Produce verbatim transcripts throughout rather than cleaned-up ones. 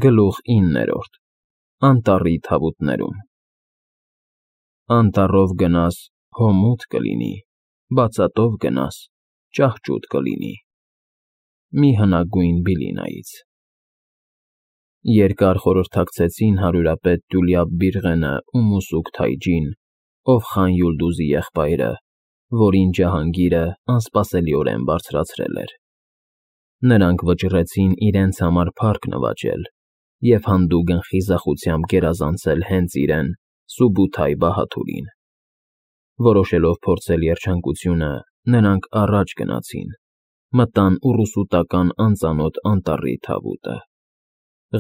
Գլուխ իններորդ Անտառի թավուտներում Անտառով գնաս, հո մութ կլինի, բացատով գնաս, ճահճուտ կլինի։ Մի հնագույն Բիլինայից Երկար խորհրդակցեցին հարյուրապետ Տյուլիապ Բիռղենը ու Մուսուկ Թայջին, ով Խան Յուլդուզի եղբայրը, որին Ջահանգիրը անսպասելիորեն բարձրացրել էր։ Նրանք վճռեցին իրենց համար փառք նվաճել և հանդուգն խիզախությամբ գերազանցել հենց իրեն՝ Սուբութայ Բահադուրին։ Որոշելով փորձել երջանկությունը, նրանք առաջ գնացին, մտան ուռուսուտական անծանոթ անտառի թավուտը։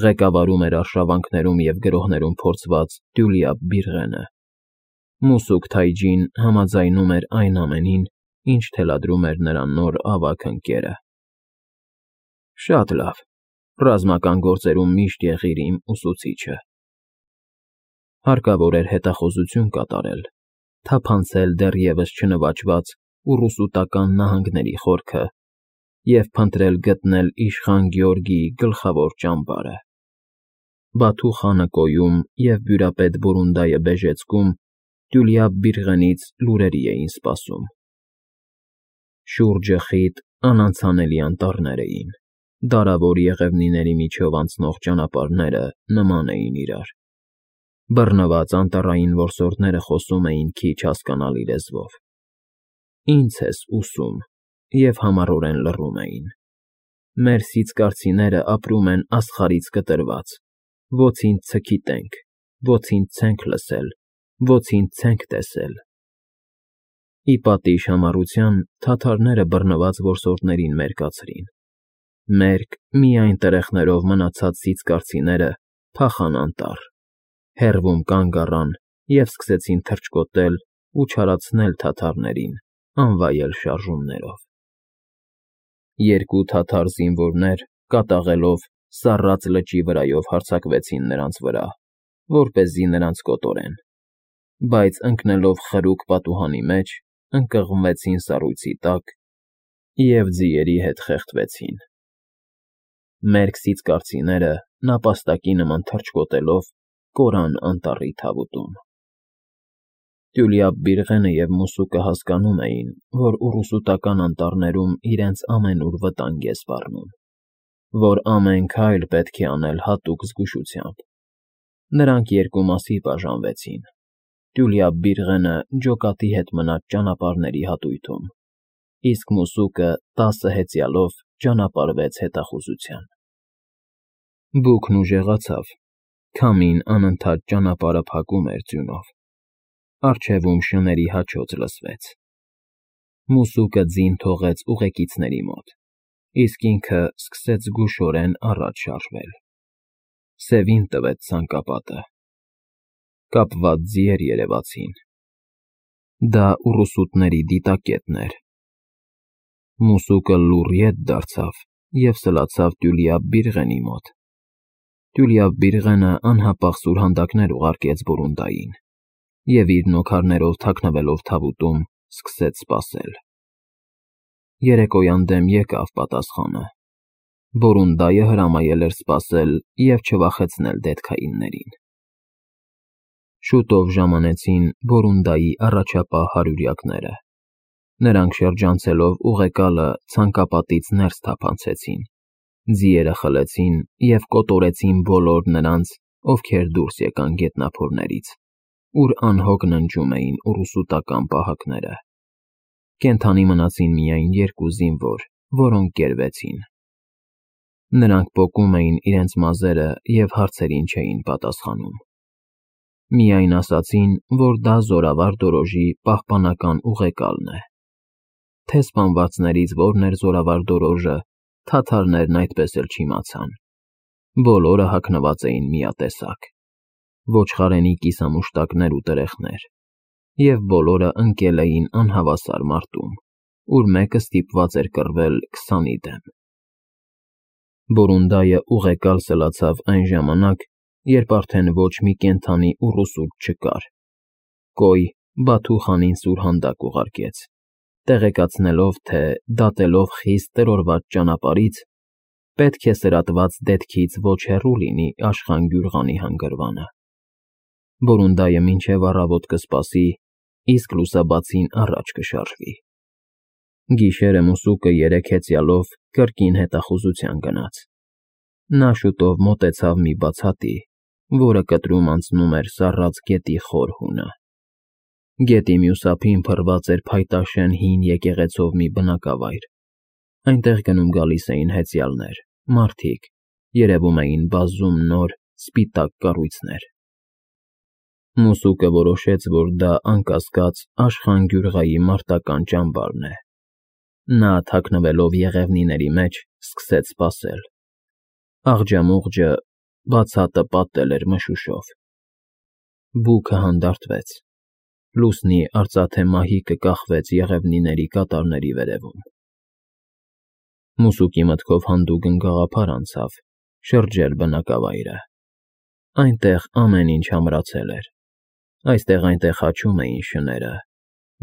Ղեկավարում էր արշավանքներում և գրոհներում փորձված Տյուլիապ Բիռղենը։ Մուսուկ Թայջին համաձայնում էր այն ամենին, ինչ թելադրում էր նրա նոր ավագ ընկերը։ Շատ լավ, ռազմական գործերում միշտ եղիր իմ ուսուցիչը։ Հարկավոր էր հետախուզություն կատարել, թափանցել դեռևս չնվաճված ուռուսուտական նահանգների խորքը և փնտրել գտնել իշխան Գյորգիի գլխավոր ճամբարը։ Բաթու խանը Կոյում և բյուրապետ Բորունդայը Բեժեցկում Տյուլիապ Բիռղենից լուրերի էին սպասում։ Շուրջը խիտ, անանցանելի անտառներ էին, դարավոր եղևնիների միջով անցնող ճանապարհները նման էին իրար։ Բռնված անտառային որսորդները խոսում էին քիչ հասկանալի լեզվով։ Ինձ ես ուսում, և համառորեն լռում էին։ Մեր սիցկարցիները ապրում են աստղարից կտրված, ոցինց չգիտենք, ոցինց չենք լսել, ոցինց չենք տեսել։ Ի պատիժ համառության թաթարները բռնված որսորդներին մերկացրին։ Մերկ, միայն տրեխներով մնացած սիցկարցիները փախան անտառ, հեռվում կանգ առան և սկսեցին թռչկոտել ու չարացնել թաթարներին անվայել շարժումներով։ Երկու թաթար զինվորներ, կատաղելով, սառած լճի վրայով հարձակվեցին նրանց վրա, որպեսզի նրանց կոտորեն, բայց ընկնելով խրուկ պատուհանի մեջ, ընկղմվեցին սառույցի տակ և ձիերի հետ խեղդվեցին։ Մերկ սիցկարցիները, նապաստակի նման թռչկոտելով, կորան անտառի թավուտում։ Տյուլիապ Բիռղենը և Մուսուկը հասկանում էին, որ ուռուսուտական անտառներում իրենց ամենուր վտանգ է սպառնում, որ ամեն քայլ պետք է անել հատուկ զգուշությամբ։ Նրանք երկու մասի բաժանվեցին։ Տյուլիապ Բիռղենը ջոկատի հետ մնաց ճանապարհների հատույթում, իսկ Մուսուկը տասը հեծյալով ճանապարհվեց հետախուզության։ Բուքն ուժեղացավ, քամին անընդհատ ճանապարհը փակում էր ձյունով։ Առջևում շների հաչոց լսվեց։ Մուսուկը ձին թողեց ուղեկիցների մոտ, իսկ ինքը սկսեց զգուշորեն առաջ շարժվել։ Սևին տվեց ցանկապատը։ Կապված ձիեր երևացին։ Դա ուռուսուտների դիտակետն էր։ Մուսուկը լուռ ետ դարձավ և սլացավ Տյուլիապ Բիռղենի մոտ։ Տյուլիապ Բիռղենը անհապաղ սուրհանդակներ ուղարկեց Բորունդային և իր նոքարներով թաքնվելով թավուտում, սկսեց սպասել։ Երեկոյան դեմ եկավ պատասխանը։ Բորունդայը հրամայել էր սպասել և չվախեցնել դետքայիններին։ Շուտով ժամանեցին Բորունդայի առաջապահ հարյուրյակները։ Նրանք շրջանցելով ուղեկալը ցանկապատից ներս թափանցեցին, ձիերը խլեցին և կոտորեցին բոլոր նրանց, ովքեր դուրս եկան գետնափորներից, ուր անհոգ ննջում էին ուռուսուտական պահակները։ Կենդանի մնացին միայն երկու զինվոր, որոնք կերվեցին։ Նրանք պոկում էին իրենց մազերը և հարցերին չէին պատասխանում։ Միայն ասացին, որ դա Զորավար Դորոժի պահպանական ուղեկալն է։ Թե սպանվածներից որն էր Զորավար Դորոժը, թաթարներն այդպես էլ չիմացան։ Բոլորը հագնված էին միատեսակ՝ ոչխարենի կիսամուշտակներ ու տրեխներ, և բոլորը ընկել էին անհավասար մարտում, ուր մեկը ստիպված էր կռվել քսանի դեմ։ Բորունդայը ուղեկալ սլացավ այն ժամանակ, երբ արդեն ոչ մի կենդանի ուռուսուտ չկար։ Կոյ Բաթու խանին սուրհանդակ ուղարկեց, տեղեկացնելով, թե դատելով խիստ տրորված ճանապարհից, պետք է սրատված դետքից ոչ հեռու լինի Աշխան Գյուղանի հանգրվանը։ Որոնդայը մինչև առավոտ կսպասի, իսկ լուսաբացին առաջ կշարժվի։ Գիշերը մուսուկը երեք հեծյալով կրկին հետախուզության գնաց։ Նա շուտով մոտեցավ մի բացատի, որը կտրում անցնում էր սառած գետի խոր հունը։ Գետի մյուս ափին փռված էր փայտաշեն հին եկեղեցով մի բնակավայր։ Այնտեղ գնում գալիս էին հեծյալներ, մարդիկ, երևում էին բազում նոր, սպիտակ կառույցներ։ Մուսուկը որոշեց, որ դա անկասկած Աշխան Գյուղայի մարտական ճամբարն է։ Նա, թաքնվելով եղևնիների մեջ, սկսեց սպասել։ Աղջամուղջը բացատը պատել էր մշուշով։ Բուքը հանդարտվեց։ Լուսնի արծաթե մահիկը կախվեց եղևնիների կատարների վերևում։ Մուսուկի մտքով հանդուգն գաղափար անցավ՝ շրջել բնակավայրը։ Այնտեղ ամեն ինչ ամրացել էր։ Այստեղ-այնտեղ հաչում էին շները,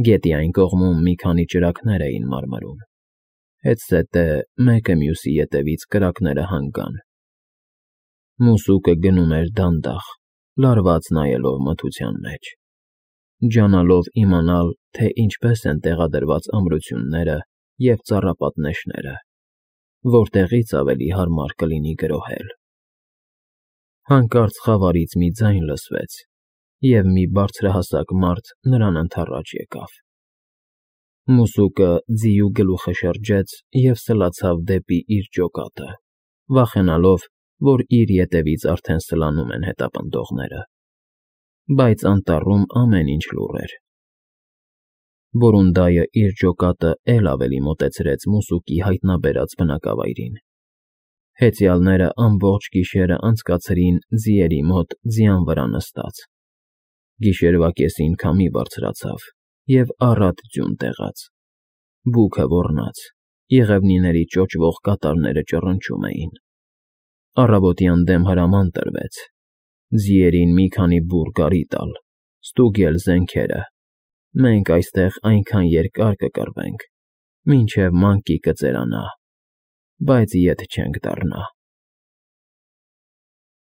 գետի այն կողմում մի քանի ճրագներ էին մարմրում, հետզհետե մեկը մյուսի ետևից կրակները հանգան։ Մուսուկը գնում էր դանդաղ, լարված նայելով մթության մեջ, ջանալով իմանալ, թե ինչպես են տեղադրված ամրությունները և ծառապատնեշները, որտեղից ավելի հարմար կլինի գրոհել։ Հանկարծ խավարից մի ձայն լսվեց, և մի բարձրահասակ մարդ նրան ընդառաջ եկավ։ Մուսուկը ձիու գլուխը շրջեց և սլացավ դեպի իր ջոկատը, վախենալով, որ իր ետևից արդեն սլանում են հետապնդողները։ Բայց անտառում ամեն ինչ լուռ էր։ Որոնդայը իր ջոկատը էլ ավելի մոտեցրեց մուսուկի հայտնաբերած բնակավայրին։ Հեծյալները ամբողջ գիշերը անցկացրին ձիերի մոտ ձյան վրա նստած։ Գիշերվա կեսին քամի բարձրացավ և առատ ձյուն տեղաց։ Բուքը ոռնաց, եղևնիների ճոճվող կատարները ճռնչում էին։ Առավոտյան դեմ հրաման տրվեց. ձիերին մի քանի բուռ գարի տալ, ստուգել զենքերը։ Մենք այստեղ այնքան երկար կկռվենք, մինչև մանկի կծերանա, բայց ետ չենք դառնա։